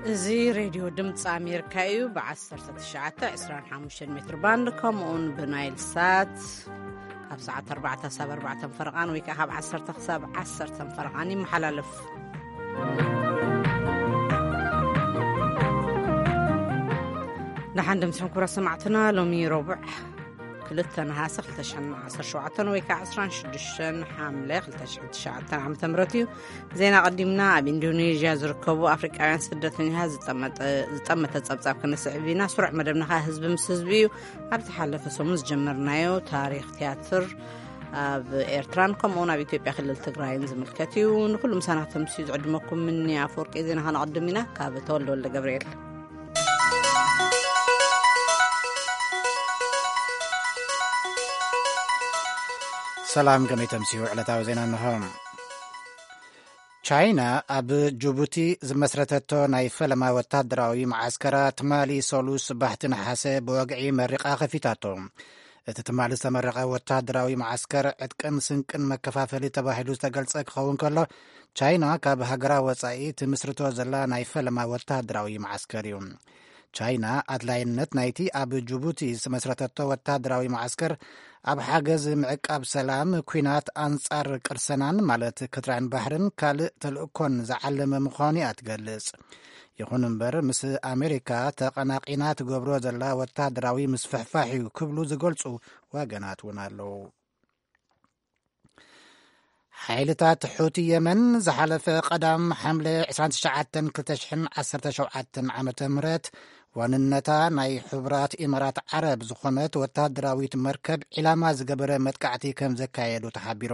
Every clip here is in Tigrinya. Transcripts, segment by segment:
እዚ ሬድዮ ድምፂ ኣሜሪካ እዩ። ብ19፣ 25 ሜትር ባንድ፣ ከምኡውን ብናይል ሳት ካብ ሰዓት 4 ሳብ 4 ፈረቓን ወይ ከዓ ካብ 10 ክሳብ 10 ፈረቓን ይመሓላለፍ። ደሓን ደምስኩም ክቡራት ሰማዕትና፣ ሎሚ ረቡዕ ክልተ ነሃሰ ክልተ ሽሕን ዓሰርተ ሸውዓተን ወይ ከዓ 26 ሓምለ ክልተ ሽሕን ትሽዓተን ዓመተ ምህረት እዩ። ዜና ቀዲምና። ኣብ ኢንዶኔዥያ ዝርከቡ ኣፍሪቃውያን ስደተኛታት ዝጠመጠ-፣ ዝጠመተ ጸብጻብ ክነስዕብ ኢና። ስሩዕ መደብና ኸኣ ህዝቢ ምስ ህዝቢ እዩ። ኣብ ዝሓለፈ ሰሙን ዝጀመርናዮ ታሪኽ ቲያትር ኣብ ኤርትራን ከምኡውን ኣብ ኢትዮጵያ ክልል ትግራይን ዝምልከት እዩ። ንኹሉ ምሳና ከተምስዩ ዝዕድመኩም ምኒ ኣፈወርቂ። ዜና ከነቐድም ኢና ካብ ተወልደ ወልደ ገብርኤል። ሰላም፣ ከመይ ተምስዩ? ዕለታዊ ዜና እንሆ። ቻይና ኣብ ጅቡቲ ዝመስረተቶ ናይ ፈለማ ወታደራዊ መዓስከራ ትማሊ ሰሉስ ባሕቲ ነሓሰ ብወግዒ መሪቓ ከፊታቶ። እቲ ትማሊ ዝተመረቐ ወታደራዊ መዓስከር ዕጥቅን ስንቅን መከፋፈሊ ተባሂሉ ዝተገልጸ ክኸውን ከሎ፣ ቻይና ካብ ሃገራ ወጻኢ ትምስርቶ ዘላ ናይ ፈለማ ወታደራዊ መዓስከር እዩ። ቻይና ኣድላይነት ናይቲ ኣብ ጅቡቲ ዝተመስረተቶ ወታደራዊ መዓስከር ኣብ ሓገዝ ምዕቃብ ሰላም፣ ኲናት ኣንጻር ቅርሰናን ማለት ክትራን ባሕርን ካልእ ተልእኮን ዝዓለመ ምዃኑ እያ ትገልጽ። ይኹን እምበር፣ ምስ ኣሜሪካ ተቐናቒና ትገብሮ ዘላ ወታደራዊ ምስፍሕፋሕ እዩ ክብሉ ዝገልጹ ወገናት እውን ኣለዉ። ሓይልታት ሑቲ የመን ዝሓለፈ ቀዳም ሓምለ 29፣ 2017 ዓመተ ምህረት ዋንነታ ናይ ሕቡራት ኢማራት ዓረብ ዝኾነት ወታደራዊት መርከብ ዒላማ ዝገበረ መጥቃዕቲ ከም ዘካየዱ ተሓቢሩ።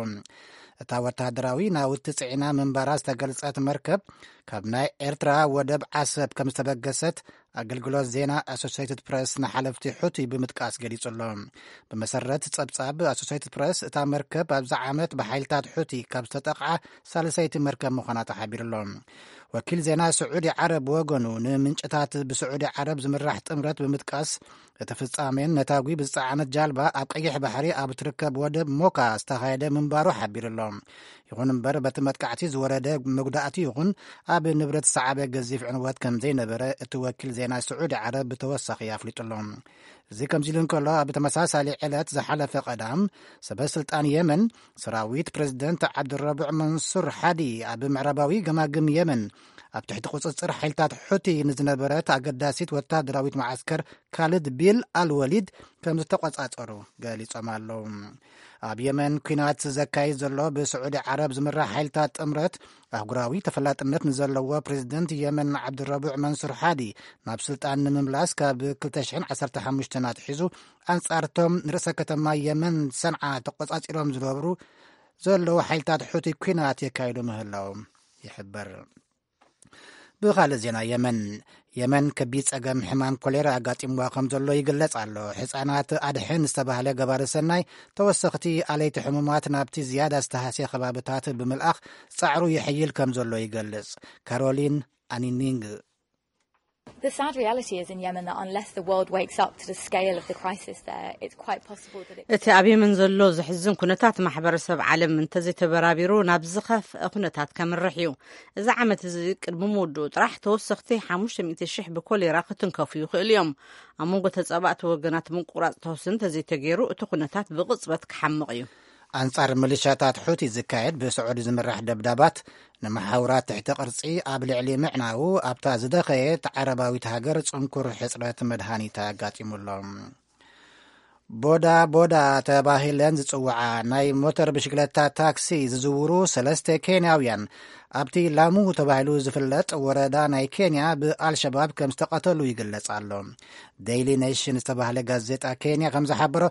እታ ወታደራዊ ናውቲ ጽዒና ምንባራ ዝተገልጸት መርከብ፣ ካብ ናይ ኤርትራ ወደብ ዓሰብ ከም ዝተበገሰት ኣገልግሎት ዜና ኣሶሴይትድ ፕረስ ንሓለፍቲ ሑቲ ብምጥቃስ ገሊጹ ኣሎ። ብመሰረት ጸብጻብ ኣሶሴይትድ ፕረስ፣ እታ መርከብ ኣብዚ ዓመት ብሓይልታት ሑቲ ካብ ዝተጠቕዓ ሳልሰይቲ መርከብ ምዃና ተሓቢሩ ኣሎ። ወኪል ዜና ስዑዲ ዓረብ ብወገኑ፣ ንምንጭታት ብስዑዲ ዓረብ ዝምራሕ ጥምረት ብምጥቃስ፣ እቲ ፍጻሜን ነታጒ ብዝጸዓነት ጃልባ ኣብ ቀይሕ ባሕሪ ኣብ ትርከብ ወደብ ሞካ ዝተኻየደ ምንባሩ ሓቢሩ ኣሎ። ይኹን እምበር፣ በቲ መጥቃዕቲ ዝወረደ መጉዳእቲ ይኹን ኣብ ንብረት ዝሰዓበ ገዚፍ ዕንወት ከም ዘይነበረ እቲ ወኪል ዜና ስዑዲ ዓረብ ብተወሳኺ ኣፍሊጡ ኣሎ። እዚ ከምዚ ኢሉ እንከሎ፣ ኣብ ተመሳሳሊ ዕለት ዝሓለፈ ቀዳም፣ ሰበ ስልጣን የመን፣ ሰራዊት ፕሬዝደንት ዓብድረቡዕ መንሱር ሓዲ ኣብ ምዕራባዊ ገማግም የመን ኣብ ትሕቲ ቁጽጽር ሓይልታት ሑቲ ንዝነበረት ኣገዳሲት ወታደራዊት መዓስከር ካልድ ቢል ኣልወሊድ ከም ዝተቆጻጸሩ ገሊጾም ኣለዉ። ኣብ የመን ኲናት ዘካይድ ዘሎ ብስዑዲ ዓረብ ዝምራሕ ሓይልታት ጥምረት፣ ኣህጉራዊ ተፈላጥነት ንዘለዎ ፕሬዝደንት የመን ዓብድረቡዕ መንሱር ሓዲ ናብ ስልጣን ንምምላስ ካብ 2015 ኣትሒዙ ኣንጻርቶም ንርእሰ ከተማ የመን ሰንዓ ተቆጻጺሮም ዝነብሩ ዘለዉ ሓይልታት ሑቲ ኲናት የካይዱ ምህላዎም ይሕበር። ብኻልእ ዜና፣ የመን፣ የመን ከቢድ ጸገም ሕማም ኮሌራ ኣጋጢምዋ ከም ዘሎ ይግለጽ ኣሎ። ሕጻናት ኣድሕን ዝተባህለ ገባሪ ሰናይ፣ ተወሰኽቲ ኣለይቲ ሕሙማት ናብቲ ዝያዳ ዝተሃስየ ከባብታት ብምልኣኽ ጻዕሩ የሕይል ከም ዘሎ ይገልጽ። ካሮሊን ኣኒኒንግ። The sad reality is in Yemen that unless the world wakes up to the scale of the crisis there, it's quite possible that it እቲ ኣብ የመን ዘሎ ዘሕዝን ኩነታት ማሕበረሰብ ዓለም እንተዘይተበራቢሩ ናብ ዝኸፍአ ኩነታት ከምርሕ እዩ። እዚ ዓመት እዚ ቅድሚ ምውድኡ ጥራሕ ተወሰኽቲ ሓሙሽተ ሚእቲ ሽሕ ብኮሌራ ክትንከፉ ይኽእሉ እዮም። ኣብ መንጎ ተጻባእቲ ወገናት ምቁራጽ ተኹሲ እንተዘይተገይሩ እቲ ኩነታት ብቕጽበት ክሓምቕ እዩ። ኣንጻር ሚሊሻታት ሑቲ ዝካየድ ብስዑዲ ዝምራሕ ደብዳባት ንመሓውራት ትሕቲ ቅርጺ ኣብ ልዕሊ ምዕናዉ ኣብታ ዝደኸየት ዓረባዊት ሃገር ጽንኩር ሕጽረት መድሃኒት ኣጋጢሙ ኣሎ። ቦዳ ቦዳ ተባሂለን ዝጽውዓ ናይ ሞተር ብሽክለታ ታክሲ ዝዝውሩ ሰለስተ ኬንያውያን ኣብቲ ላሙ ተባሂሉ ዝፍለጥ ወረዳ ናይ ኬንያ ብኣልሸባብ ከም ዝተቐተሉ ይግለጽ ኣሎ። ዴይሊ ኔሽን ዝተባህለ ጋዜጣ ኬንያ ከም ዝሓበሮ፣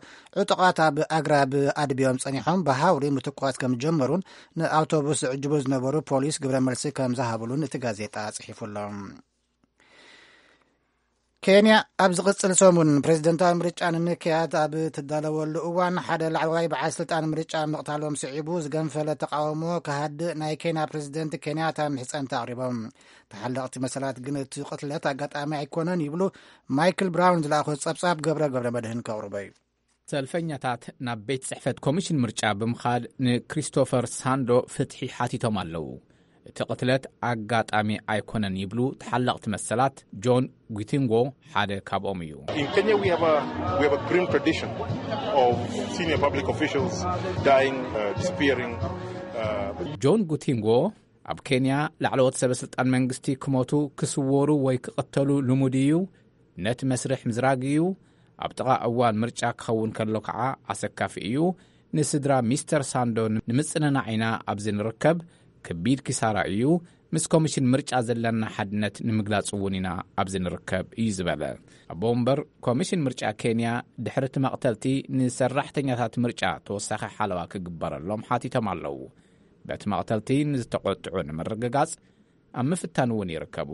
ዕጡቓት ኣብ ኣግራብ ኣድብዮም ጸኒሖም ብሃውሪ ምትኳስ ከም ዝጀመሩን ንኣውቶቡስ ዝዕጅቡ ዝነበሩ ፖሊስ ግብረ መልሲ ከም ዝሃብሉን እቲ ጋዜጣ ጽሒፉ ኣሎ። ኬንያ ኣብ ዝቕጽል ሰሙን ፕሬዝደንታዊ ምርጫ ንምክያድ ኣብ ትዳለወሉ እዋን፣ ሓደ ላዕለዋይ በዓል ስልጣን ምርጫ ምቕታሎም ስዒቡ ዝገንፈለ ተቃውሞ ክሃድእ ናይ ኬንያ ፕሬዝደንት ኬንያታ ምሕጸንታ ኣቕሪቦም። ተሓለቕቲ መሰላት ግን እቲ ቅትለት ኣጋጣሚ ኣይኮነን ይብሉ። ማይክል ብራውን ዝለኣኾ ጸብጻብ ገብረ ገብረ መድህን ከቕርቦ እዩ። ሰልፈኛታት ናብ ቤት ጽሕፈት ኮሚሽን ምርጫ ብምኻድ ንክሪስቶፈር ሳንዶ ፍትሒ ሓቲቶም ኣለዉ። እቲ ቅትለት ኣጋጣሚ ኣይኮነን ይብሉ ተሓለቕቲ መሰላት። ጆን ጉቲንጎ ሓደ ካብኦም እዩ። In Kenya, we have a we have a grim tradition of senior public officials dying, uh, disappearing. Uh, ጆን ጉቲንጎ ኣብ ኬንያ ላዕለዎት ሰበ ስልጣን መንግስቲ ክሞቱ፣ ክስወሩ ወይ ክቕተሉ ልሙድ እዩ። ነቲ መስርሕ ምዝራግ እዩ። ኣብ ጥቓ እዋን ምርጫ ክኸውን ከሎ ከዓ ኣሰካፊ እዩ። ንስድራ ሚስተር ሳንዶ ንምጽንናዕ ኢና ኣብዚ ንርከብ። ከቢድ ኪሳራ እዩ። ምስ ኮሚሽን ምርጫ ዘለና ሓድነት ንምግላጽ እውን ኢና ኣብዚ ንርከብ እዩ ዝበለ። ኣቦ ወንበር ኮሚሽን ምርጫ ኬንያ ድሕሪ እቲ መቕተልቲ ንሰራሕተኛታት ምርጫ ተወሳኺ ሓለዋ ክግበረሎም ሓቲቶም ኣለዉ። በቲ መቕተልቲ ንዝተቖጥዑ ንምርግጋጽ ኣብ ምፍታን እውን ይርከቡ።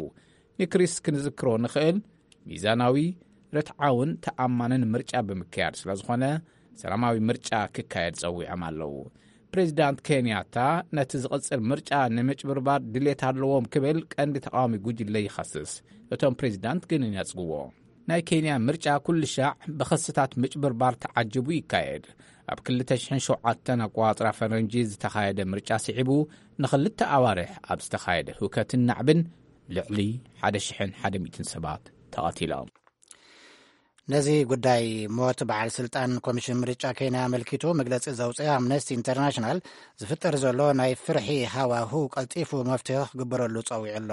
ንክሪስ ክንዝክሮ ንኽእል፣ ሚዛናዊ፣ ርትዓውን ተኣማንን ምርጫ ብምክያድ ስለ ዝኾነ፣ ሰላማዊ ምርጫ ክካየድ ጸዊዖም ኣለዉ። ፕሬዚዳንት ኬንያታ ነቲ ዝቕጽል ምርጫ ንምጭብርባር ድሌት ኣለዎም ክብል ቀንዲ ተቃዋሚ ጉጅለ ይኸስስ። እቶም ፕሬዚዳንት ግን ይነጽግዎ። ናይ ኬንያ ምርጫ ኩሉ ሻዕ ብኸስታት ምጭብርባር ተዓጅቡ ይካየድ። ኣብ ክልተ ሽሕን ሸውዓተን ኣቆጻጽራ ፈረንጂ ዝተኻየደ ምርጫ ስዒቡ፣ ንኽልተ ኣዋርሕ ኣብ ዝተኻየደ ህውከትን ናዕብን ልዕሊ ሓደ ሽሕን ሓደ ሚእትን ሰባት ተቐቲሎም። ነዚ ጉዳይ ሞት በዓል ስልጣን ኮሚሽን ምርጫ ኬንያ ኣመልኪቱ መግለጺ ዘውፅአ ኣምነስቲ ኢንተርናሽናል፣ ዝፍጠር ዘሎ ናይ ፍርሒ ሃዋሁ ቀልጢፉ መፍትሒ ክግበረሉ ጸዊዑ ኣሎ።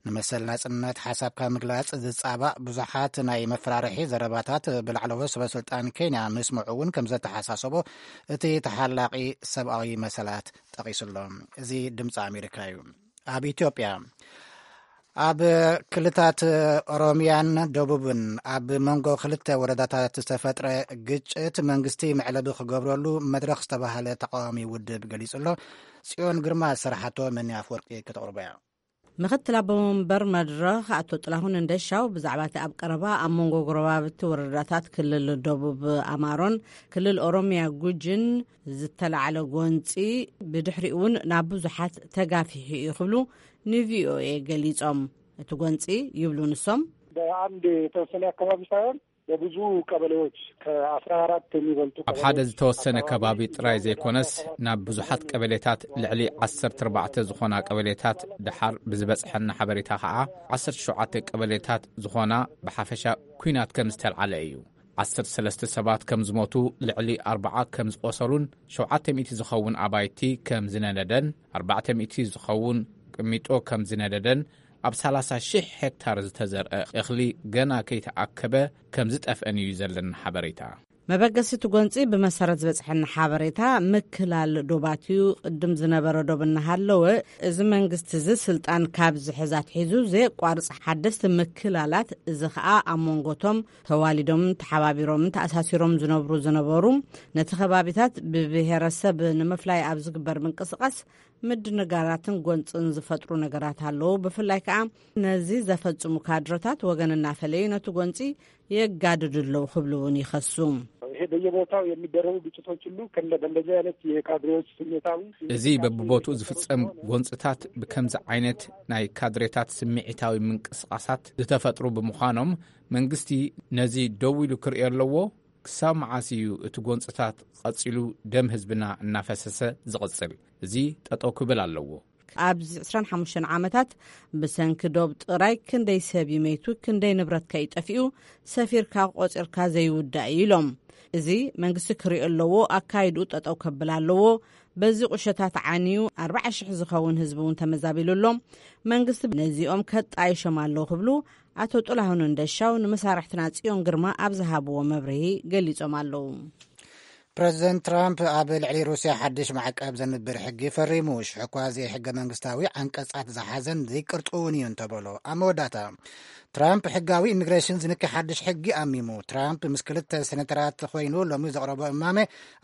ንመሰል ናጽነት ሓሳብካ ምግላጽ ዝጻባእ ብዙሓት ናይ መፈራርሒ ዘረባታት ብላዕለዎት ሰበ ስልጣን ኬንያ ምስምዑ እውን ከም ዘተሓሳሰቦ እቲ ተሓላቒ ሰብኣዊ መሰላት ጠቒሱ ኣሎ። እዚ ድምፂ ኣሜሪካ እዩ። ኣብ ኢትዮጵያ ኣብ ክልታት ኦሮሚያን ደቡብን ኣብ መንጎ ክልተ ወረዳታት ዝተፈጥረ ግጭት መንግስቲ መዕለቢ ክገብረሉ መድረኽ ዝተባህለ ተቃዋሚ ውድብ ገሊጹ ኣሎ። ጽዮን ግርማ ዝሰርሓቶ መኒ ኣፍወርቂ ከተቕርቦ እያ። ምኽትል ኣቦ መንበር መድረኽ ኣቶ ጥላሁን እንደሻው ብዛዕባ እቲ ኣብ ቀረባ ኣብ መንጎ ጎረባብቲ ወረዳታት ክልል ደቡብ ኣማሮን ክልል ኦሮሚያ ጉጅን ዝተላዕለ ጎንጺ ብድሕሪኡ እውን ናብ ብዙሓት ተጋፊሑ እዩ ክብሉ ንቪኦኤ ገሊጾም። እቲ ጎንጺ ይብሉ ንሶም፣ በአንድ የተወሰነ አካባቢ ሳይሆን በብዙ ቀበሌዎች ከአስራ አራት የሚበልጡ ኣብ ሓደ ዝተወሰነ ከባቢ ጥራይ ዘይኮነስ፣ ናብ ብዙሓት ቀበሌታት፣ ልዕሊ ዓሰርተ ኣርባዕተ ዝኾና ቀበሌታት፣ ደሓር ብዝበጽሐና ሓበሬታ ኸዓ ዓሰርተ ሸውዓተ ቀበሌታት ዝኾና ብሓፈሻ ኲናት ከም ዝተልዓለ እዩ። ዓሰርተ ሰለስተ ሰባት ከም ዝሞቱ፣ ልዕሊ ኣርባዓ ከም ዝቆሰሉን ሸውዓተ ሚእቲ ዝኸውን ኣባይቲ ከም ዝነደደን ኣርባዕተ ሚእቲ ዝኸውን ቅሚጦ ከም ዝነደደን ኣብ ሰላሳ ሺሕ ሄክታር ዝተዘርአ እኽሊ ገና ከይተኣከበ ከም ዝጠፍአን እዩ ዘለና ሓበሬታ። መበገሲ እቲ ጎንፂ ብመሰረት ዝበፅሐና ሓበሬታ ምክላል ዶባት እዩ። ቅድም ዝነበረ ዶብ እናሃለወ እዚ መንግስቲ እዚ ስልጣን ካብ ዝሕዝ ኣትሒዙ ዘየቋርፅ ሓደስቲ ምክላላት፣ እዚ ከዓ ኣብ መንጎቶም ተዋሊዶምን ተሓባቢሮምን ተኣሳሲሮም ዝነብሩ ዝነበሩ ነቲ ከባቢታት ብብሄረሰብ ንምፍላይ ኣብ ዝግበር ምንቅስቃስ ምድንጋራትን ጎንፅን ዝፈጥሩ ነገራት ኣለዉ። ብፍላይ ከዓ ነዚ ዘፈፅሙ ካድረታት ወገን እናፈለዩ ነቲ ጎንፂ የጋድዱ ኣለዉ ክብሉ እውን ይኸሱ። ይሄ በየቦታው የሚደረጉ ግጭቶች ሁሉ ከእንደ በእንደዚህ አይነት የካድሬዎች ስሜታዊ እዚ በብቦትኡ ዝፍጸም ጎንፅታት ብከምዚ ዓይነት ናይ ካድሬታት ስምዒታዊ ምንቅስቃሳት ዝተፈጥሩ ብምዃኖም፣ መንግስቲ ነዚ ደው ኢሉ ክርእዮ ኣለዎ። ክሳብ መዓስ እዩ እቲ ጎንፅታት ቀፂሉ ደም ህዝብና እናፈሰሰ ዝቕፅል? እዚ ጠጠው ክብል ኣለዎ። ኣብዚ ዕስራን ሓሙሽተን ዓመታት ብሰንኪ ዶብ ጥራይ ክንደይ ሰብ ይመይቱ፣ ክንደይ ንብረት ከይጠፊኡ ሰፊርካ ቆፂርካ ዘይውዳእ እዩ ኢሎም። እዚ መንግስቲ ክሪኦ ኣለዎ፣ ኣካይድኡ ጠጠው ከብል ኣለዎ። በዚ ቁሸታት ዓንዩ ኣርባዓ ሽሕ ዝኸውን ህዝቢ እውን ተመዛቢሉ ኣሎ። መንግስቲ ነዚኦም ከጣይሾም ኣለዎ ክብሉ ኣቶ ጥላሁን እንደሻው ንመሳርሕትና ጽዮን ግርማ ኣብ ዝሃብዎ መብርሂ ገሊጾም ኣለዉ። ፕረዚደንት ትራምፕ ኣብ ልዕሊ ሩስያ ሓድሽ ማዕቀብ ዘንብር ሕጊ ፈሪሙ። ሽሕኳ ዘይሕገ መንግስታዊ ዓንቀጻት ዝሓዘን ዘይቅርጥውን እዩ እንተበሎ፣ ኣብ መወዳእታ ትራምፕ ሕጋዊ ኢሚግሬሽን ዝንኪ ሓድሽ ሕጊ ኣሚሙ። ትራምፕ ምስ ክልተ ሴኔተራት ኮይኑ ሎሚ ዘቕረቦ እማመ፣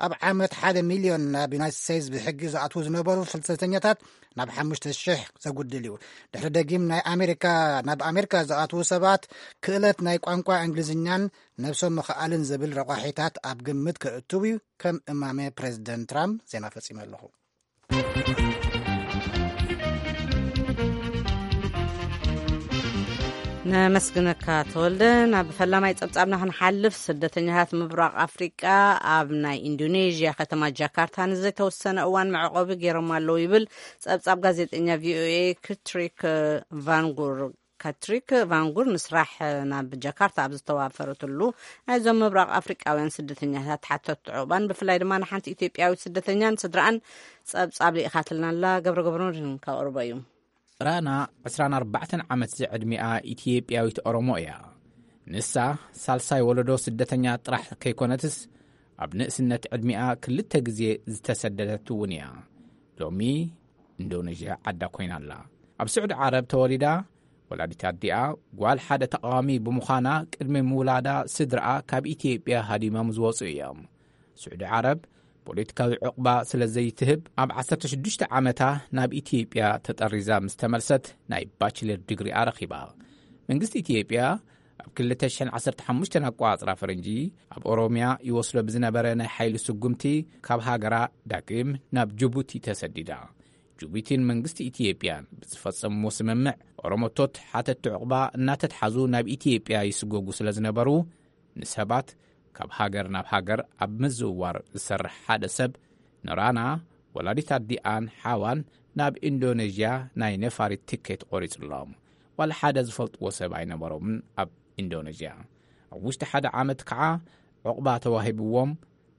ኣብ ዓመት ሓደ ሚልዮን ናብ ዩናይትድ ስቴትስ ብሕጊ ዝኣትዉ ዝነበሩ ፍልሰተኛታት ናብ ሓሙሽተ ሽሕ ዘጉድል እዩ። ድሕሪ ደጊም ናይ ኣሜሪካ ናብ ኣሜሪካ ዝኣትዉ ሰባት ክእለት ናይ ቋንቋ እንግሊዝኛን ነብሶም ምኽኣልን ዝብል ረቋሒታት ኣብ ግምት ከእትው እዩ ከም እማመ ፕሬዚደንት ትራምፕ። ዜና ፈጺመ ኣለኹ። ነመስግነካ ተወልደ። ናብ ፈላማይ ጸብጻብና ክንሓልፍ፣ ስደተኛታት ምብራቕ ኣፍሪቃ ኣብ ናይ ኢንዶኔዥያ ከተማ ጃካርታ ንዘይተወሰነ እዋን መዕቆቢ ገይሮም ኣለዉ ይብል ጸብጻብ ጋዜጠኛ ቪኦኤ ክትሪክ ቫንጉር። ካትሪክ ቫንጉር ንስራሕ ናብ ጃካርታ ኣብ ዝተዋፈረትሉ፣ ናይዞም ምብራቕ ኣፍሪቃውያን ስደተኛታት ሓተት ዕቑባን ብፍላይ ድማ ንሓንቲ ኢትዮጵያዊት ስደተኛን ስድራኣን ጸብጻብ ልኢኻትልና ኣላ። ገብረ ገብረ መድህን ከቕርቦ እዩ። ራና፣ ዕስራን ኣርባዕተን ዓመት ዝዕድሚኣ ኢትዮጵያዊት ኦሮሞ እያ። ንሳ ሳልሳይ ወለዶ ስደተኛ ጥራሕ ከይኮነትስ፣ ኣብ ንእስነት ዕድሚኣ ክልተ ግዜ ዝተሰደደት እውን እያ። ሎሚ ኢንዶኔዥያ ዓዳ ኮይና ኣላ። ኣብ ስዑዲ ዓረብ ተወሊዳ፣ ወላዲት ኣዲኣ ጓል ሓደ ተቓዋሚ ብምዃና፣ ቅድሚ ምውላዳ ስድራኣ ካብ ኢትዮጵያ ሃዲሞም ዝወጹ እዮም። ስዑዲ ዓረብ ፖለቲካዊ ዕቑባ ስለ ዘይትህብ፣ ኣብ ዓሰርተ ሽዱሽተ ዓመታ ናብ ኢትዮጵያ ተጠሪዛ ምስ ተመልሰት፣ ናይ ባችለር ዲግሪኣ ረኺባ። መንግስቲ ኢትዮጵያ ኣብ ክልተ ሽሕን ዓሰርተ ሓሙሽተን ኣቋጽራ ፈረንጂ፣ ኣብ ኦሮምያ ይወስዶ ብዝነበረ ናይ ሓይሊ ስጉምቲ፣ ካብ ሃገራ ዳግም ናብ ጅቡቲ ተሰዲዳ። ጅቡቲን መንግስቲ ኢትዮጵያን ብዝፈጸምዎ ስምምዕ፣ ኦሮሞቶት ሓተቲ ዕቑባ እናተትሓዙ ናብ ኢትዮጵያ ይስጎጉ ስለ ዝነበሩ፣ ንሰባት ካብ ሃገር ናብ ሃገር ኣብ ምዝውዋር ዝሰርሕ ሓደ ሰብ፣ ንራና፣ ወላዲት ኣዲኣን ሓዋን፣ ናብ ኢንዶኔዥያ ናይ ነፋሪት ትኬት ቆሪጹሎም። ዋላ ሓደ ዝፈልጥዎ ሰብ ኣይነበሮምን ኣብ ኢንዶኔዥያ። ኣብ ውሽጢ ሓደ ዓመት ከዓ ዕቑባ ተዋሂብዎም፣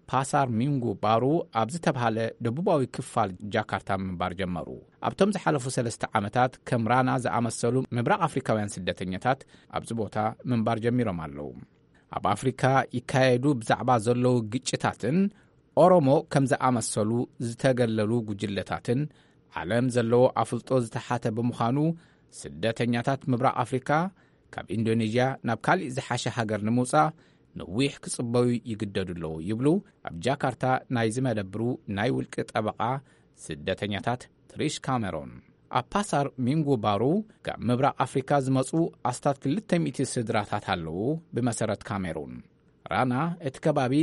ፓሳር ሚንጉ ባሩ ኣብ ዝተብሃለ ደቡባዊ ክፋል ጃካርታ ምንባር ጀመሩ። ኣብቶም ዝሓለፉ ሰለስተ ዓመታት፣ ከም ራና ዝኣመሰሉ ምብራቕ ኣፍሪካውያን ስደተኛታት ኣብዚ ቦታ ምንባር ጀሚሮም ኣለዉ። ኣብ ኣፍሪካ ይካየዱ ብዛዕባ ዘለዉ ግጭታትን ኦሮሞ ከም ዝኣመሰሉ ዝተገለሉ ጉጅለታትን ዓለም ዘለዎ ኣፍልጦ ዝተሓተ ብምዃኑ፣ ስደተኛታት ምብራቕ ኣፍሪካ ካብ ኢንዶኔዥያ ናብ ካሊእ ዝሓሸ ሃገር ንምውጻእ ነዊሕ ክጽበዩ ይግደዱ ኣለዉ ይብሉ ኣብ ጃካርታ ናይ ዝመደብሩ ናይ ውልቂ ጠበቓ ስደተኛታት ትሪሽ ካሜሮን። ኣብ ፓሳር ሚንጉ ባሩ ካብ ምብራቕ ኣፍሪካ ዝመጹ ኣስታት ክልተ ሚእቲ ስድራታት ኣለዉ። ብመሰረት ካሜሩን፣ ራና እቲ ከባቢ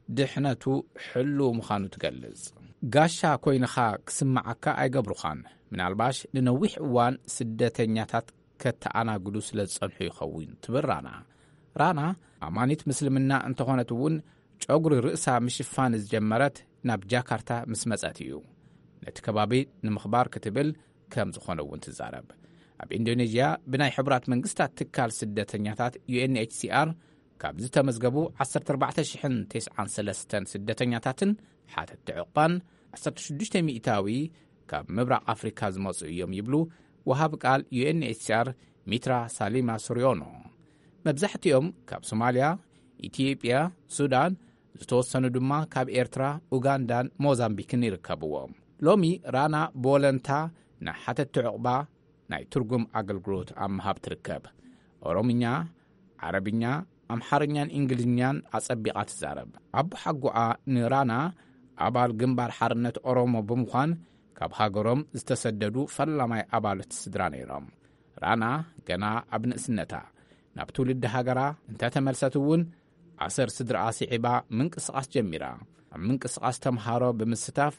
ድሕነቱ ሕሉው ምዃኑ ትገልጽ። ጋሻ ኮይንኻ ክስምዓካ ኣይገብሩኻን። ምናልባሽ ንነዊሕ እዋን ስደተኛታት ከተኣናግዱ ስለ ዝጸንሑ ይኸውን ትብል ራና። ራና ኣማኒት ምስልምና እንተኾነት እውን፣ ጨጉሪ ርእሳ ምሽፋን ዝጀመረት ናብ ጃካርታ ምስ መጸት እዩ። ነቲ ከባቢ ንምኽባር ክትብል ከም ዝኾነ እውን ትዛረብ። ኣብ ኢንዶኔዥያ ብናይ ሕቡራት መንግስታት ትካል ስደተኛታት ዩ ኤን ኤች ሲ ኣር ካብ ዝተመዝገቡ ዓሰርተ ኣርባዕተ ሽሕን ተስዓን ሰለስተን ስደተኛታትን ሓተቲ ዕቕባን፣ ዓሰርተ ሽዱሽተ ሚእታዊ ካብ ምብራቕ ኣፍሪካ ዝመጹ እዮም ይብሉ ወሃቢ ቃል ዩ ኤን ኤች ሲ ኣር ሚትራ ሳሊማ ሱሪዮኖ። መብዛሕትኦም ካብ ሶማልያ፣ ኢትዮጵያ፣ ሱዳን፣ ዝተወሰኑ ድማ ካብ ኤርትራ፣ ኡጋንዳን ሞዛምቢክን ይርከብዎም። ሎሚ ራና ብወለንታ ንሓተቲ ዕቕባ ናይ ትርጉም ኣገልግሎት ኣብ ምሃብ ትርከብ። ኦሮምኛ፣ ዓረብኛ፣ ኣምሓርኛን እንግሊዝኛን ኣጸቢቓ ትዛረብ። ኣቦሓጎኣ ንራና ኣባል ግንባር ሓርነት ኦሮሞ ብምዃን፣ ካብ ሃገሮም ዝተሰደዱ ፈላማይ ኣባላት ስድራ ነይሮም። ራና ገና ኣብ ንእስነታ ናብ ትውልዲ ሃገራ እንተተመልሰት እውን፣ ኣሰር ስድራኣ ስዒባ ምንቅስቓስ ጀሚራ። ኣብ ምንቅስቓስ ተምሃሮ ብምስታፍ፣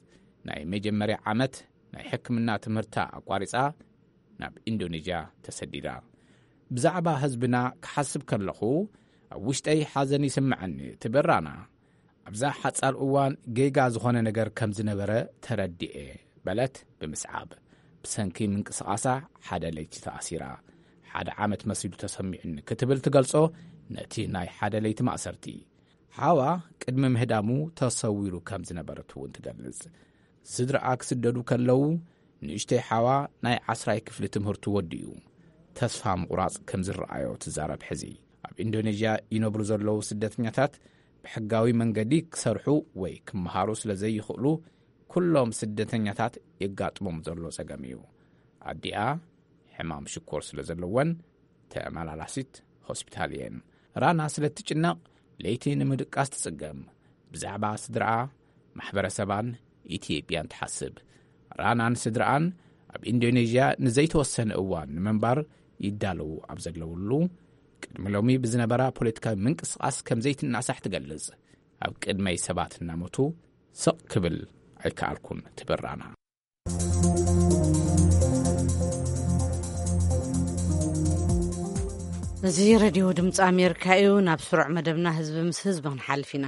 ናይ መጀመርያ ዓመት ናይ ሕክምና ትምህርታ ኣቋሪጻ ናብ ኢንዶኔዥያ ተሰዲዳ። "ብዛዕባ ህዝብና ክሓስብ ከለኹ፣ ኣብ ውሽጠይ ሓዘን ይስምዐኒ" ትብል ራና። "ኣብዛ ሓጻር እዋን ጌጋ ዝኾነ ነገር ከም ዝነበረ ተረዲኤ" በለት ብምስዓብ። ብሰንኪ ምንቅስቓሳ ሓደ ለይቲ ተኣሲራ። ሓደ ዓመት መሲሉ ተሰሚዑኒ ክትብል ትገልጾ ነቲ ናይ ሓደ ለይቲ ማእሰርቲ። ሓዋ ቅድሚ ምህዳሙ ተሰዊሩ ከም ዝነበረት እውን ትገልጽ። ስድራኣ ክስደዱ ከለዉ፣ ንእሽተይ ሓዋ ናይ ዓስራይ ክፍሊ ትምህርቱ ወዲኡ፣ ተስፋ ምቑራጽ ከም ዝረኣዮ ትዛረብ። ሕዚ ኣብ ኢንዶኔዥያ ይነብሩ ዘለዉ ስደተኛታት ብሕጋዊ መንገዲ ክሰርሑ ወይ ክመሃሩ ስለ ዘይኽእሉ፣ ኩሎም ስደተኛታት የጋጥሞም ዘሎ ጸገም እዩ። ኣዲኣ ሕማም ሽኮር ስለ ዘለወን፣ ተመላላሲት ሆስፒታል እየን። ራና ስለ እትጭነቕ፣ ለይቲ ንምድቃስ ትጽገም። ብዛዕባ ስድራኣ፣ ማሕበረሰባን ኢትዮጵያን ትሓስብ። ራናን ስድራኣን ኣብ ኢንዶኔዥያ ንዘይተወሰነ እዋን ንምንባር ይዳለዉ ኣብ ዘለውሉ፣ ቅድሚ ሎሚ ብዝነበራ ፖለቲካዊ ምንቅስቓስ ከም ዘይትናሳሕ ትገልጽ። "ኣብ ቅድመይ ሰባት እናሞቱ ስቕ ክብል ኣይከኣልኩን" ትብል ራና። እዚ ሬድዮ ድምፂ ኣሜሪካ እዩ። ናብ ስሩዕ መደብና ህዝቢ ምስ ህዝቢ ክንሓልፍ ኢና።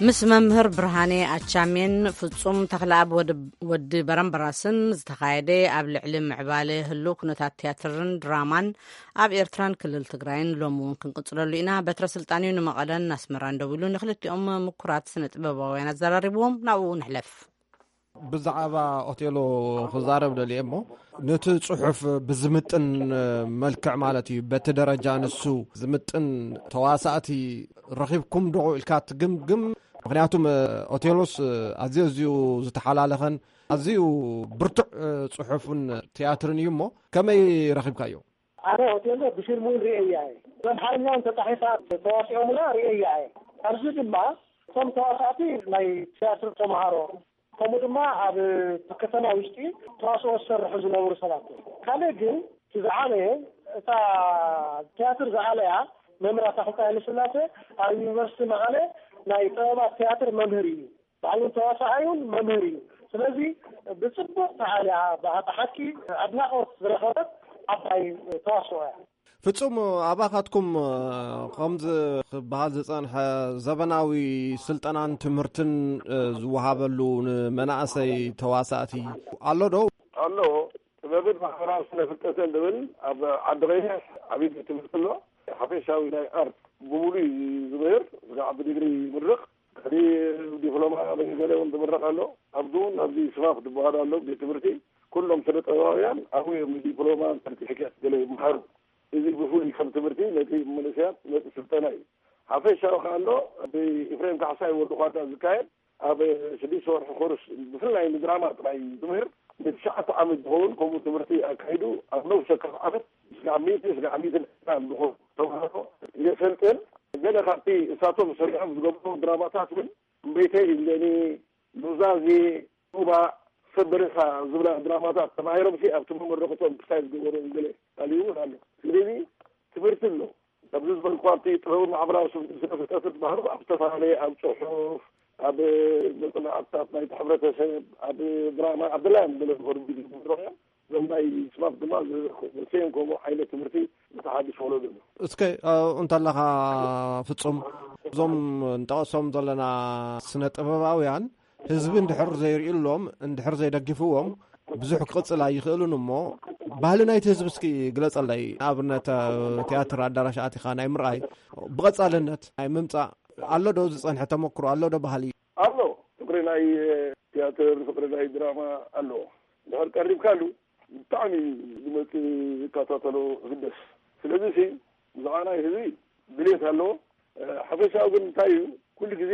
ምስ መምህር ብርሃኔ ኣቻሜን ፍጹም ተኽለኣብ ወዲ በረምበራስን ዝተኻየደ ኣብ ልዕሊ ምዕባለ ህሉ ኩነታት ቲያትርን ድራማን ኣብ ኤርትራን ክልል ትግራይን ሎሚ እውን ክንቅጽለሉ ኢና። በትረ ስልጣንዩ ንመቐለን ኣስመራን ደዊሉ ንክልቲኦም ምኩራት ስነ ጥበባውያን ኣዘራሪብዎም። ናብኡ ንሕለፍ። ብዛዕባ ኦቴሎ ክዛረብ ደልየ እሞ፣ ነቲ ጽሑፍ ብዝምጥን መልክዕ ማለት እዩ፣ በቲ ደረጃ ንሱ ዝምጥን ተዋሳእቲ ረኺብኩም ዶ ኢልካ ትግምግም? ምኽንያቱም ኦቴሎስ ኣዝዩ ኣዝዩ ዝተሓላለኸን ኣዝዩ ብርቱዕ ጽሑፍን ቲያትርን እዩ እሞ፣ ከመይ ረኺብካዮ? ኣነ ኦቴሎ ብፊልም እውን ርእየያ እየ። ብኣምሓርኛ እውን ተጻሒፋ ተዋሲኦምላ ርእየያ እየ። ኣብዚ ድማ እቶም ተዋሳእቲ ናይ ቲያትር ተምሃሮ፣ ከምኡ ድማ ኣብ ከተማ ውሽጢ ተዋስኦ ዝሰርሑ ዝነበሩ ሰባት እዮም። ካልእ ግን እቲ ዝዓበየ፣ እታ ቲያትር ዝኣለያ መምህር ኣታ ክልተ ሃይለስላሴ ኣብ ዩኒቨርሲቲ መቐለ ናይ ጥበባት ቲያትር መምህር እዩ። ባዕሉ ተዋሳኣዩን መምህር እዩ። ስለዚ ብጽቡቕ ተኣልያ፣ ብሓቂ ኣድናቖት ዝረኸበት ዓባይ ተዋስኦ እያ። ፍጹም፣ ኣባኻትኩም ከምዚ ክበሃል ዝጸንሐ ዘበናዊ ስልጠናን ትምህርትን ዝወሃበሉ ንመናእሰይ ተዋሳእቲ ኣሎ ዶ? ኣሎ። ጥበብን ማሕበራዊ ስነ ፍልጠትን ዝብል ኣብ ዓዲ ቀይሕ ዓብዪ ቤት ትምህርቲ ኣሎ። ሓፈሻዊ ናይ ኣርት ብሙሉ እዩ ዝምህር፣ ስጋዕ ብዲግሪ ይምርቕ። ከዲ ዲፕሎማ ገለ እውን ዝምረቕ ኣሎ። ኣብዚ እውን ኣብዚ ስማፍ ዝበሃል ኣሎ ቤት ትምህርቲ፣ ኩሎም ስነ ጥበባውያን ኣብኡ እዮም ንዲፕሎማ ሰርቲፊኬት ገለ ይምሃሩ። እዚ ብፍሉይ ከም ትምህርቲ ነቲ መንእሰያት ነቲ ስልጠና እዩ። ሓፈሻዊ ከኣ ኣሎ፣ ብኤፍሬም ካሕሳይ ወዲ ኳዳ ዝካየድ ኣብ ሽዱሽተ ወርሒ ኮርስ ብፍላይ ንድራማ ጥራይ ዝምህር ንትሽዓተ ዓመት ዝኸውን ከምኡ ትምህርቲ ኣካይዱ ኣብ ነፍሲ ወከፍ ዓመት ስጋዕ ሚእቲ ስጋዕ ሚእትን ዕስራን ዝኾኑ ተምሃሮ የሰልጥን። ገለ ካብቲ እሳቶም ሰሪሖም ዝገብሩ ድራማታት እውን እምበይተይ እምበኒ፣ ኑዛዜ፣ ሩባ፣ ሰብ በረኻ ዝብላ ድራማታት ተማሂሮምሲ ኣብቲ መመረቕቶም ክሳይ ዝገበሩ ገለ ካልእ እውን ኣሎ። ስለዚ ትምህርቲ ኣሎ። ኣብዚ ዝበልኩ ኣብቲ ጥበብን ማሕበራዊ ስነ ፍልጠት ዝበሃሉ ኣብ ዝተፈላለየ ኣብ ጽሑፍ፣ ኣብ መጽናዕትታት ናይቲ ሕብረተሰብ፣ ኣብ ድራማ፣ ኣብ ድላዮም ገለ ዝኾኑ ቪድዮ ዝምህሩ እዮም። እዞም ናይ ስማት ድማ ዘሰዮም ከምኡ ዓይነት ትምህርቲ ዝተሓድሽ ወለዶ እዩ። እስከ ኣብኡ እንተለኻ ፍጹም፣ እዞም እንጠቐሶም ዘለና ስነ ጥበባውያን ህዝቢ እንድሕር ዘይርእዩሎም፣ እንድሕር ዘይደግፍዎም ብዙሕ ክቕጽል ኣይኽእልን እሞ፣ ባህሊ ናይቲ ህዝቢ እስኪ ግለጸለይ። ንኣብነት ቲያትር ኣዳራሽ ኣቲኻ ናይ ምርኣይ፣ ብቐጻልነት ናይ ምምጻእ ኣሎ ዶ ዝጸንሐ ተመክሮ ኣሎ ዶ ባህሊ? ኣሎ። ፍቅሪ ናይ ቲያትር፣ ፍቅሪ ናይ ድራማ ኣሎ። እንድሕር ቀሪብካሉ ብጣዕሚ ዝመጽእ ዝከታተሎ ዝግደስ። ስለዚ ሲ ብዛዕባ ናይ ህዝቢ ድሌት ኣለዎ። ሓፈሻዊ ግን እንታይ እዩ፣ ኩሉ ግዜ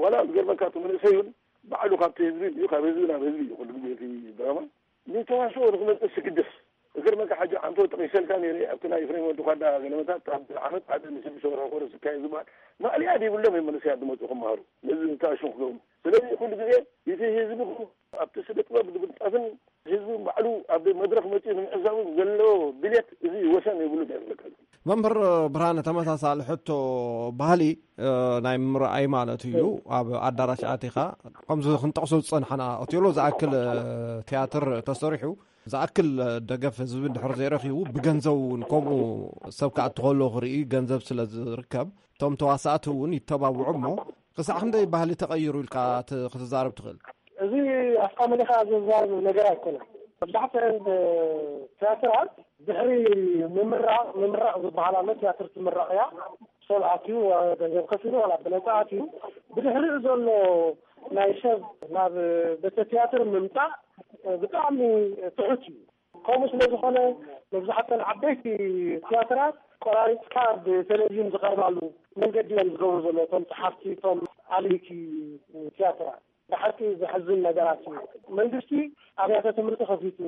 ዋላ ዝገርመካ እቲ መንእሰይ እውን ባዕሉ ካብቲ ህዝቢ እዩ፣ ካብ ህዝቢ ናብ ህዝቢ እዩ ኩሉ ግዜ እቲ ድራማ ንተዋስኦ ንክመጽእ ዝግደስ። እግር መካ ሓጂ ዓንቶ ጠቒሰልካ ነይረ ኣብቲ ናይ ኤፍሬም ወዲ ኳዳ ገለመታት ኣብ ዓመት ሓደ ንስድስተ ወርሒ ኮርስ ዝካየድ ዝበሃል ማእለያ ዘይብሎም እዮም መንእሰያት ዝመጹ ክመሃሩ ነዚ ታሽሙ ክገብሩ። ስለዚ ኩሉ ግዜ እቲ ህዝቢ ኣብቲ ስነ ጥበብ ንምንጣፍን ህዝቢ ባዕሉ ኣብ መድረኽ መጺኡ ንምዕዛብን ዘለዎ ድልየት እዚ ወሰን የብሉን እየ ዝብለካ። መምህር ብርሃነ፣ ተመሳሳሊ ሕቶ፣ ባህሊ ናይ ምርኣይ ማለት እዩ። ኣብ ኣዳራሽ ኣቲኻ ከምዚ ክንጠቕሶ ዝጸንሓና ኦቴሎ ዝኣክል ቲያትር ተሰሪሑ ዝኣክል ደገፍ ህዝቢ እንድሕር ዘይረኺቡ ብገንዘብ እውን ከምኡ ሰብ ክኣቱ ከሎ ክርኢ ገንዘብ ስለ ዝርከብ እቶም ተዋሳእቲ እውን ይተባብዑ እሞ ክሳዕ ክንደይ ባህሊ ተቐይሩ ኢልካ ክትዛረብ ትኽእል? እዚ ኣፍካ መሊኻ ዝዛረብ ነገር ኣይኮነን። መብዛሕትአን ቲያትራት ድሕሪ ምምራቕ፣ ምምራቕ ዝበሃል ኣሎ፣ ቲያትር ትምረቕ እያ። ሰብ ኣትዩ፣ ገንዘብ ከፊሉ፣ ዋላ ብነጻ ኣትዩ፣ ብድሕሪኡ ዘሎ ናይ ሰብ ናብ ቤተ ቲያትር ምምጻእ ብጣዕሚ ትሑት እዩ። ከምኡ ስለ ዝኾነ መብዛሕትአን ዓበይቲ ቲያትራት ቆራሪፅካ ብቴሌቪዥን ዝቐርባሉ መንገዲ እዮም ዝገብሩ ዘሎ፣ እቶም ጸሓፍቲ፣ እቶም ኣለይቲ ቲያትራት። ብሓቂ ዘሕዝን ነገራት እዩ። መንግስቲ ኣብያተ ትምህርቲ ከፊቱ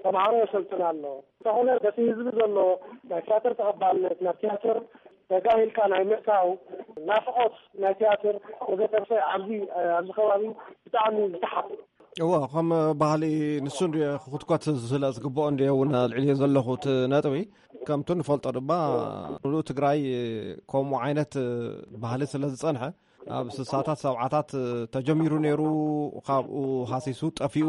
ተምሃሮ የሰልጥን ኣሎ። እንተኾነ በቲ ህዝቢ ዘሎ ናይ ቲያትር ተቐባልነት ናብ ቲያትር ተጋሂልካ ናይ ምእታው ናፍቖት ናይ ቲያትር ወዘተርፈ ኣብዚ ኣብዚ ከባቢ ብጣዕሚ ዝተሓተ። እዎ፣ ከም ባህሊ ንሱ እንዲ ክኹትኮት ስለ ዝግብኦ እንዲ እውን ኣልዕልዮ ዘለኹ እቲ ነጥቢ። ከምቲ ንፈልጦ ድማ ሙሉእ ትግራይ ከምኡ ዓይነት ባህሊ ስለ ዝጸንሐ ኣብ ስሳታት ሰብዓታት ተጀሚሩ ነይሩ። ካብኡ ሃሲሱ ጠፊኡ።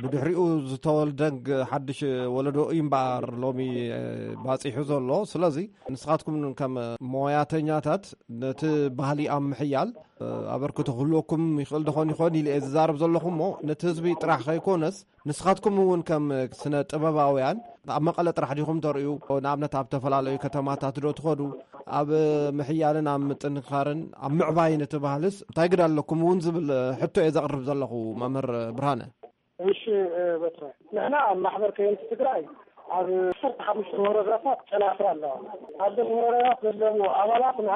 ብድሕሪኡ ዝተወልደ ሓድሽ ወለዶ እዩ እምበኣር ሎሚ ባፂሑ ዘሎ። ስለዚ ንስኻትኩም ከም ሞያተኛታት ነቲ ባህሊ ኣብ ምሕያል ኣበርክቶ ክህልወኩም ይኽእል ደኾን ይኾን ኢለ እየ ዝዛረብ ዘለኹ እሞ፣ ነቲ ህዝቢ ጥራሕ ከይኮነስ ንስኻትኩም እውን ከም ስነ ጥበባውያን ኣብ መቐለ ጥራሕ ዲኹም ተርእዩ? ንኣብነት ኣብ ዝተፈላለዩ ከተማታት ዶ ትኸዱ? ኣብ ምሕያልን ኣብ ምጥንኻርን ኣብ ምዕባይን እቲ ባህልስ እንታይ ግዳ ኣለኩም እውን ዝብል ሕቶ እየ ዘቕርብ ዘለኹ፣ መምህር ብርሃነ። እሺ፣ በትረ፣ ንሕና ኣብ ማሕበር ከየንቲ ትግራይ ኣብ ዓሰርተ ሓሙሽተ ወረዳታት ጨናፍር ኣለዋ። ኣብዘን ወረዳታት ዘለዉ ኣባላትና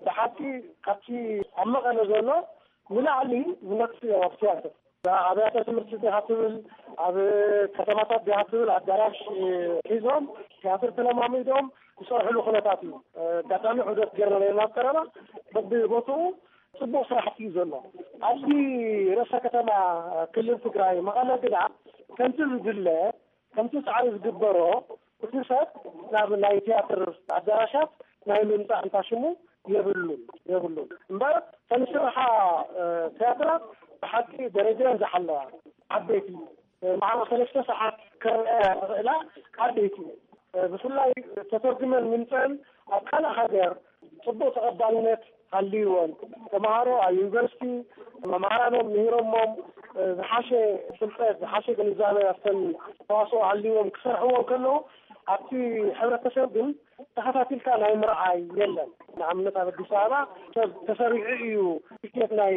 ብሓቂ ካብቲ ኣብ መቐለ ዘሎ ንላዕሊ ዝነጥፉ እዮም። ኣብ ትያትር ኣብያተ ትምህርቲ ዲኻ ትብል፣ ኣብ ከተማታት ዲኻ ትብል ኣዳራሽ ሒዞም ትያትር ተለማሚዶም ዝሰርሕሉ ኩነታት እዩ። ኣጋጣሚ ዑደት ጌርና ነርና ኣብ ቀረባ በብቦትኡ ጽቡቕ ስራሕቲ እዩ ዘሎ። ኣብዚ ርእሰ ከተማ ክልል ትግራይ መቐለ ግና ከምቲ ዝድለ ከምቲ ጻዕሪ ዝግበሮ እቲ ሰብ ናብ ናይ ትያትር ኣዳራሻት ናይ ምምጻእ እንታ ሽሙ የብሉን የብሉን እምበር ተንስርሓ ትያትራት ብሓቂ ደረጃን ዝሓለዋ ዓበይቲ መዓልቲ ሰለስተ ሰዓት ክረኣያ ዝኽእላ ዓበይቲ ብፍላይ ተተርጉመን ምምፀን ኣብ ካልእ ሃገር ፅቡቅ ተቐባልነት ሃልይዎን ተምሃሮ ኣብ ዩኒቨርሲቲ መምሃራኖም ምሂሮሞም ዝሓሸ ፍልጠት ዝሓሸ ግንዛበ ኣብተን ተዋስኦ ሃልይዎም ክሰርሕዎ ከለዉ ኣብቲ ሕብረተሰብ ግን ተኸታቲልካ ናይ ምርዓይ የለን። ንኣብነት ኣብ ኣዲስ ኣበባ ሰብ ተሰሪዑ እዩ ቲኬት ናይ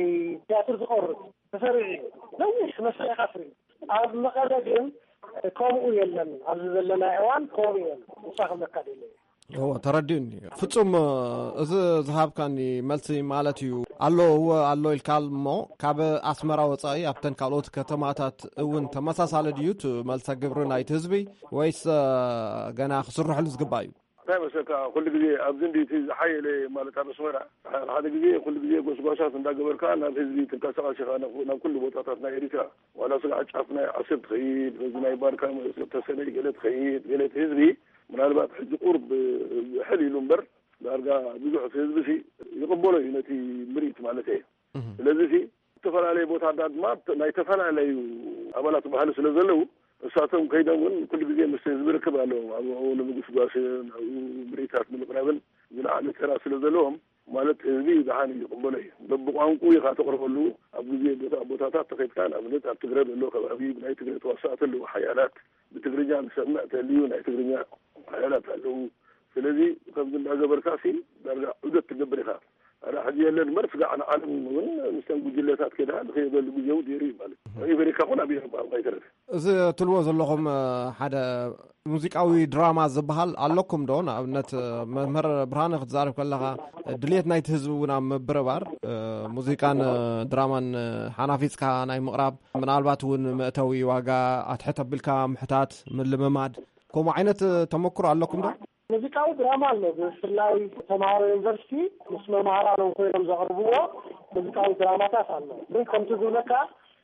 ትያትር ዝቆርብ ተሰሪዑ እዩ ነዊሕ መስርዕ ኢኻ ትርኢ። ኣብ መቐለ ግን ከምኡ የለን። ኣብዚ ዘለና እዋን ከምኡ የለን። ንሳ ክብለካ ደለ እዎ ተረዲኡኒ። ፍጹም እዚ ዝሃብካኒ መልሲ ማለት እዩ ኣሎ እወ ኣሎ ኢልካ እሞ ካብ ኣስመራ ወጻኢ ኣብተን ካልኦት ከተማታት እውን ተመሳሳሊ ድዩ እቲ መልሰ ግብሪ ናይቲ ህዝቢ ወይስ ገና ክስርሐሉ ዝግባእ እዩ? እንታይ መሰልካ ኩሉ ግዜ ኣብዚ እንዲ እቲ ዝሓየለ ማለት ኣብ ኣስመራ ሓደ ግዜ ኩሉ ግዜ ጎስጓሳት እንዳገበርካ ናብ ህዝቢ ትንቀሳቐስ ኢኻ ናብ ኩሉ ቦታታት ናይ ኤሪትራ ዋላ ስጋዕ ጫፍ ናይ ዓሰብ ትኸይድ በዚ ናይ ባርካ ተሰነይ ገለ ትኸይድ ገለ እቲ ህዝቢ ምናልባት ሕጂ ቁርብ ሕል ኢሉ እምበር ዳርጋ ብዙሕ እቲ ህዝቢ ሲ ይቕበሎ እዩ ነቲ ምርኢት ማለት እየ። ስለዚ ሲ ዝተፈላለየ ቦታታት ድማ ናይ ዝተፈላለዩ ኣባላት ባህሊ ስለ ዘለዉ እሳቶም ከይዶም እውን ኩሉ ግዜ ምስ ህዝቢ ርክብ ኣለዎም ኣብኡ ንምጉስጓስን ኣብኡ ምርኢታት ንምቕራብን ዝለዓለ ተራ ስለ ዘለዎም ማለት ህዝቢ ደሓን እዩ ይቕበሎ እዩ በብቋንቁ ኢኻ ተቕርበሉ ኣብ ግዜ ቦታ ቦታታት ተኸድካ ንኣብነት ኣብ ትግረ ዘሎ ከባቢ ናይ ትግረ ተዋሳእቲ ኣለዉ ሓያላት ብትግርኛ ዝሰምዕ ተልዩ ናይ ትግርኛ ሓያላት ኣለዉ ስለዚ ከምዚ እንዳገበርካ ሲ ዳርጋ ዑደት ትገብር ኢኻ ኣረ ሕዚ የለን እምበር ስጋዕ ንዓለም እውን ምስተን ጉጅለታት ከዳ ዝኸየደሉ ግዜ እውን ነይሩ እዩ ማለት እዩ ኣሜሪካ እውን ኣብ ኤሮፓ ከይተረፈ እዚ ትልዎ ዘለኹም ሓደ ሙዚቃዊ ድራማ ዝበሃል ኣለኩም ዶ ንኣብነት መምህር ብርሃነ ክትዛረብ ከለኻ ድልየት ናይቲ ህዝቢ እውን ኣብ ምብርባር ሙዚቃን ድራማን ሓናፊፅካ ናይ ምቕራብ ምናልባት እውን መእተዊ ዋጋ ኣትሕት ኣቢልካ ምሕታት ምልምማድ ከምኡ ዓይነት ተመክሮ ኣለኩም ዶ? ሙዚቃዊ ድራማ ኣሎ ብፍላይ ተምሃሮ ዩኒቨርሲቲ ምስ መምሃራኖም ኮይኖም ዘቕርብዎ ሙዚቃዊ ድራማታት ኣሎ ግን ከምቲ ዝብለካ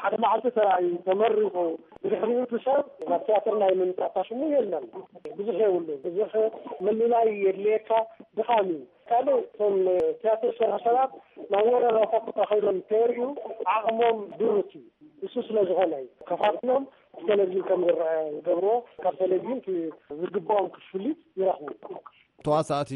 ሓደ መዓልቲ ተራእዩ ተመሪቑ ብድሕሪኡ እቲ ሰብ ናብ ትያትር ናይ ምምፃእ ሽሙ የለን ብዙሕ የብሉ ብዙሕ ምልላይ የድልየካ ድኻም እዩ ካልእ እቶም ትያትር ዝሰርሑ ሰባት ናብ ወረዳታት ተኸይዶም እንተርእዩ ዓቕሞም ድሩት እዩ እሱ ስለ ዝኾነ እዩ ከፋፍሎም ብቴሌቪዥን ከም ዝረአ ዝገብርዎ ካብ ቴሌቪዥን ዝግብኦም ክፍሊት ይረኽቡ። ተዋሳእቲ፣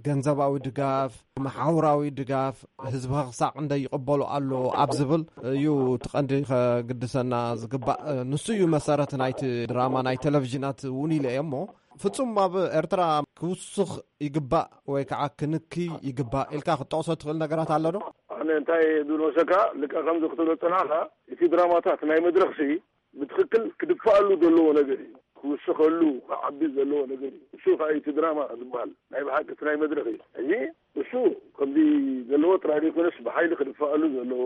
ገንዘባዊ ድጋፍ፣ መሓውራዊ ድጋፍ፣ ህዝቢ ክሳዕ ክንደይ ይቕበሎ ኣሎ ኣብ ዝብል እዩ እቲ ቀንዲ ከግድሰና ዝግባእ። ንሱ እዩ መሰረት ናይቲ ድራማ ናይ ቴሌቪዥናት እውን ኢለ እየ እሞ ፍጹም ኣብ ኤርትራ ክውስኽ ይግባእ ወይ ከዓ ክንክይ ይግባእ ኢልካ ክትጠቕሶ ትኽእል ነገራት ኣሎ ዶ? ኣነ እንታይ ዝብል መሰካ ልካ ከምዚ ክትብሎ ዝጸናሕካ እቲ ድራማታት ናይ መድረኽሲ ብትኽክል ክድፋኣሉ ዘለዎ ነገር እዩ ክውስኸሉ ክዓቢ ዘለዎ ነገር እዩ እሱ ከዓ እቲ ድራማ ዝበሃል ናይ ብሓቂ እቲ ናይ መድረኽ እዩ እዚ እሱ ከምዚ ዘለዎ ጥራይ ዘይኮነስ ብሓይሊ ክድፋኣሉ ዘለዎ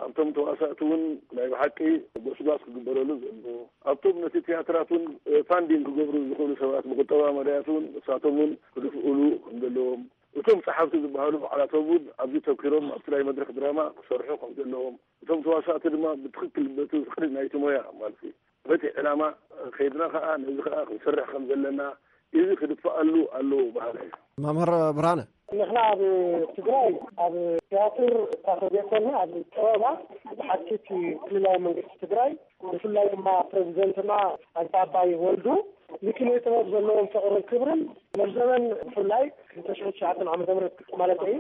ኣብቶም ተዋሳእቲ እውን ናይ ብሓቂ ጎስጓስ ክግበረሉ ዘለዎ ኣብቶም ነቲ ትያትራት እውን ፋንዲንግ ክገብሩ ዝኽእሉ ሰባት ብቁጠባ መዳያት እውን እሳቶም እውን ክድፍእሉ ከም ዘለዎም እቶም ጸሓፍቲ ዝበሃሉ ባዕላቶም እውን ኣብዚ ተኪሮም ኣብቲ ናይ መድረክ ድራማ ክሰርሑ ከም ዘለዎም እቶም ተዋሳእቲ ድማ ብትኽክል በቲ ፍቅሪ ናይቲ ሞያ ማለት እዩ በቲ ዕላማ ከይድና ከዓ ነዚ ከዓ ክንሰርሕ ከም ዘለና እዚ ክድፈኣሉ ኣለዎ በሃላይ። መምህር ብርሃነ። ንሕና ኣብ ትግራይ ኣብ ቲያትር እኳ ተዘይኮነ ኣብ ጥበባት ብሓቂ እቲ ክልላዊ መንግስቲ ትግራይ ብፍላይ ድማ ፕሬዚደንትና ኣይተ ኣባይ ወልዱ ንኪነ ጥበብ ዘለዎም ፍቕርን ክብርን መርዘበን ብፍላይ ክልተ ሽሕን ትሽዓተን ዓመተ ምህረት ማለት እዩ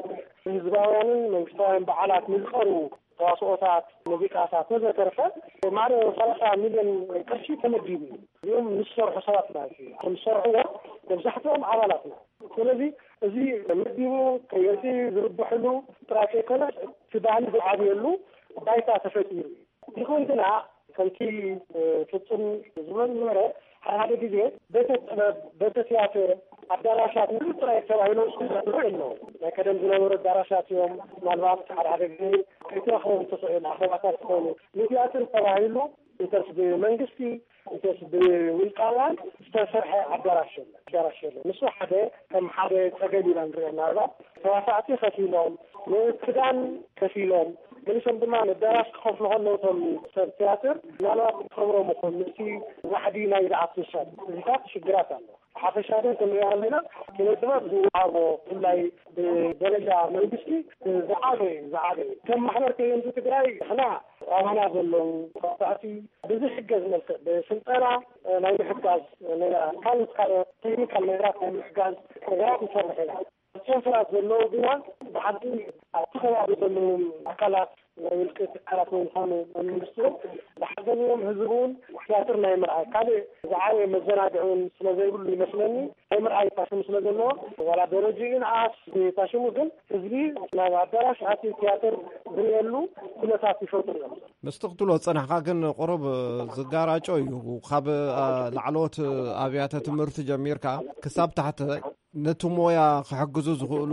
ንህዝባውያንን መንግስታውያን በዓላት ንዝቐርቡ ተዋስኦታት፣ ሙዚቃታት ወዘተርፈ ማዕረ ሰላሳ ሚልዮን ቅርሺ ተመዲቡ እዩ። እዚኦም ንዝሰርሑ ሰባት ማለት እዩ። ንዝሰርሕዎ መብዛሕትኦም ኣባላት ነው። ስለዚ እዚ መዲቡ ከየሲ ዝርብሕሉ ጥራይ ከይኮነስ እቲ ባህሊ ዝዓብየሉ ባይታ ተፈጢሩ እዩ። ይኹን ግና ከምቲ ፍጹም ዝበሉ ነበረ ሓደ ሓደ ግዜ ቤተ ጥበብ፣ ቤተ ትያትር፣ ኣዳራሻት ንሉ ጥራይ ተባሂሎም ዝዛረቡ የለዉ። ናይ ቀደም ዝነበሩ ኣዳራሻት እዮም። ምናልባት ሓደ ሓደ ግዜ ከይተረኽቦም ትኽእል ኣኼባታት ዝኾኑ ንቲያትር ተባሂሉ እንተስ ብመንግስቲ እንተስ ብውልቃውያን ዝተሰርሐ ኣዳራሽ የለን። ኣዳራሽ የለን። ንሱ ሓደ ከም ሓደ ጸገም ኢና ንሪኦ። ምናልባት ተዋሳእቲ ከፊሎም፣ ንክዳን ከፊሎም፣ ገሊሶም ድማ ንኣዳራሽ ክኸፍሉ ከለዉ እቶም ሰብ ትያትር ምናልባት ክኸብሮም ይኹን ምስቲ ዋሕዲ ናይ ዝኣቱ ሰብ እዚታት ሽግራት ኣሎ። ብሓፈሻ ግን ክንሪኦ ከለና ኪነ ጥበብ ዝወሃቦ ብፍላይ ብደረጃ መንግስቲ ዝዓበ እዩ፣ ዝዓበ እዩ። ከም ማሕበር ከየንቲ ትግራይ ንሕና ኣባና ዘለዉ ተዋሳእቲ ብዝሕገዝ መልክዕ ብስልጠና ናይ ምሕጋዝ ነገራት ካልኦት ካልኦት ቴክኒካል ነገራት ናይ ምሕጋዝ ነገራት ንሰርሕ ኢና። ኮንፈራንስ ዘለዉ ግና ብሓቂ ኣብቲ ከባቢ ዘለዎም ኣካላት ናይ ውልቂ ትካላት ወይ ዝኾኑ ናይ መንግስቲ እውን ዝሓገዝዎም ህዝቢ እውን ቲያትር ናይ ምርኣይ ካልእ ዝዓበየ መዘናግዒ እውን ስለ ዘይብሉ ይመስለኒ ናይ ምርኣይ ፓሽን ስለ ዘለዎ ዋላ ደረጅኡ ንኣስ ፓሽኑ ግን ህዝቢ ናብ ኣዳራሽ ኣትዩ ቲያትር ዝርእየሉ ኩነታት ይፈጥሩ እዮም። ምስቲ ክትብሎ ዝጸናሕካ ግን ቁሩብ ዝጋራጮ እዩ። ካብ ላዕለዎት ኣብያተ ትምህርቲ ጀሚርካ ክሳብ ታሕቲ ነቲ ሞያ ክሕግዙ ዝኽእሉ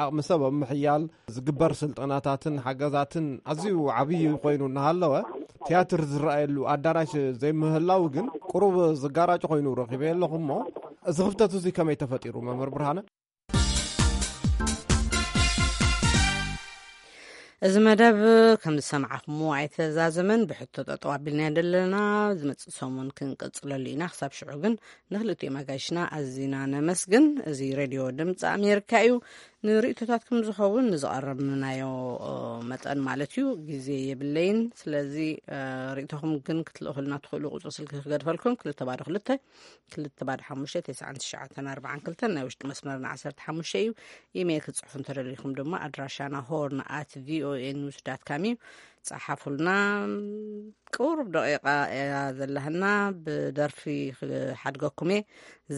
ዓቕሚ ሰብ ኣብ ምሕያል ዝግበር ስልጠናታትን ሓገዛትን ኣዝዩ ዓብዪ ኮይኑ እናሃለወ ቲያትር ዝረኣየሉ ኣዳራሽ ዘይምህላው ግን ቁሩብ ዝጋራጭ ኮይኑ ረኺበ ኣለኹ። እሞ እዚ ክፍተት እዚ ከመይ ተፈጢሩ መምህር ብርሃነ? እዚ መደብ ከም ዝሰማዕኹምዎ ኣይተዛዘመን። ብሕቶ ጠጠው ኣቢልና ዘለና ዝመጽእ ሰሙን ክንቅጽለሉ ኢና። ክሳብ ሽዑ ግን ንኽልቲኦም ኣጋይሽና ኣዚና ነመስግን። እዚ ሬድዮ ድምፂ ኣሜሪካ እዩ። ንርእቶታትኩም ዝኸውን ንዝቐረብናዮ መጠን ማለት እዩ ግዜ የብለይን። ስለዚ ርእቶኹም ግን ክትልእኹልና ትኽእሉ ቁፅሪ ስልኪ ክገድፈልኩም ክልተ ባዶ ክልተ ክልተ ባዶ ሓሙሽተ ተስዓን ትሽዓተን ኣርባዓን ክልተን ናይ ውሽጢ መስመርና ዓሰርተ ሓሙሽተ እዩ። ኢሜይል ክትፅሕፉ እንተደሊኹም ድማ ኣድራሻና ሆርን ኣት ቪኦኤ ኒውስ ዳት ካም እዩ። ፀሓፉልና። ቁሩብ ደቂቃ እያ ዘለህና። ብደርፊ ክሓድገኩም እየ።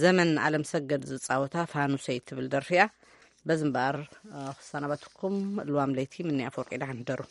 ዘመን ኣለም ሰገድ ዝፃወታ ፋኑሰይ ትብል ደርፊ እያ። በዚ እምበኣር ክሰናበትኩም። ልዋም ለይቲ ምኒ ኣፈወርቂ ደሓን ሕደሩ።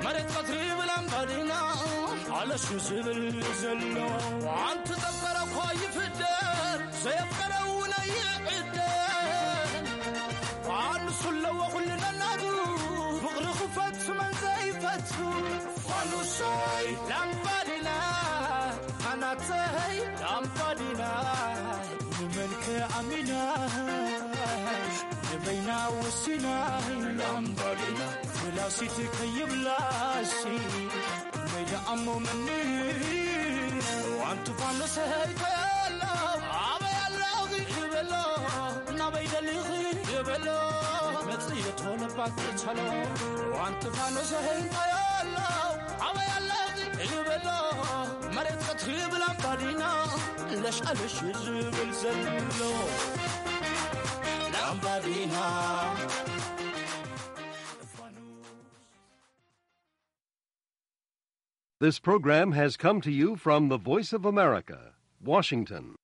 መሬት ቀትሪ ብላምባዲና ኣለሹ ዝብል ዘሎ ኣንቲ ጠፈረ እኳ ይፍደር ዘየፍቀረ እውን ኣይዕደል። ፋኑስ ኣለዎ ኩሉ ነናቱ ፍቕሪ ክፈቱ መን ዘይፈቱ ፋኑሰይ ላምባዲና ፋናተይ ላምባዲና ንመን ከኣሚና ንበይና ወሲና ላምባዲና ፍላሲት ከይብላሲ መይዳ ኣሞ መኒ ዋንቱ ፋኖሰይ ከየሎ ኣበይ ኣለኺ ይበሎ ናበይ ደሊኺ ይበሎ መጽዮ ቶለባት ተቻሎ ዋንቱ ፋኖሰይ ከየሎ ኣበይ ኣለኺ ይበሎ መሬት ቀትሪ ብላምባዲና ለሽ ኣለሽ ዝብል ዘሎ ላምባዲና This program has come to you from the Voice of America, Washington.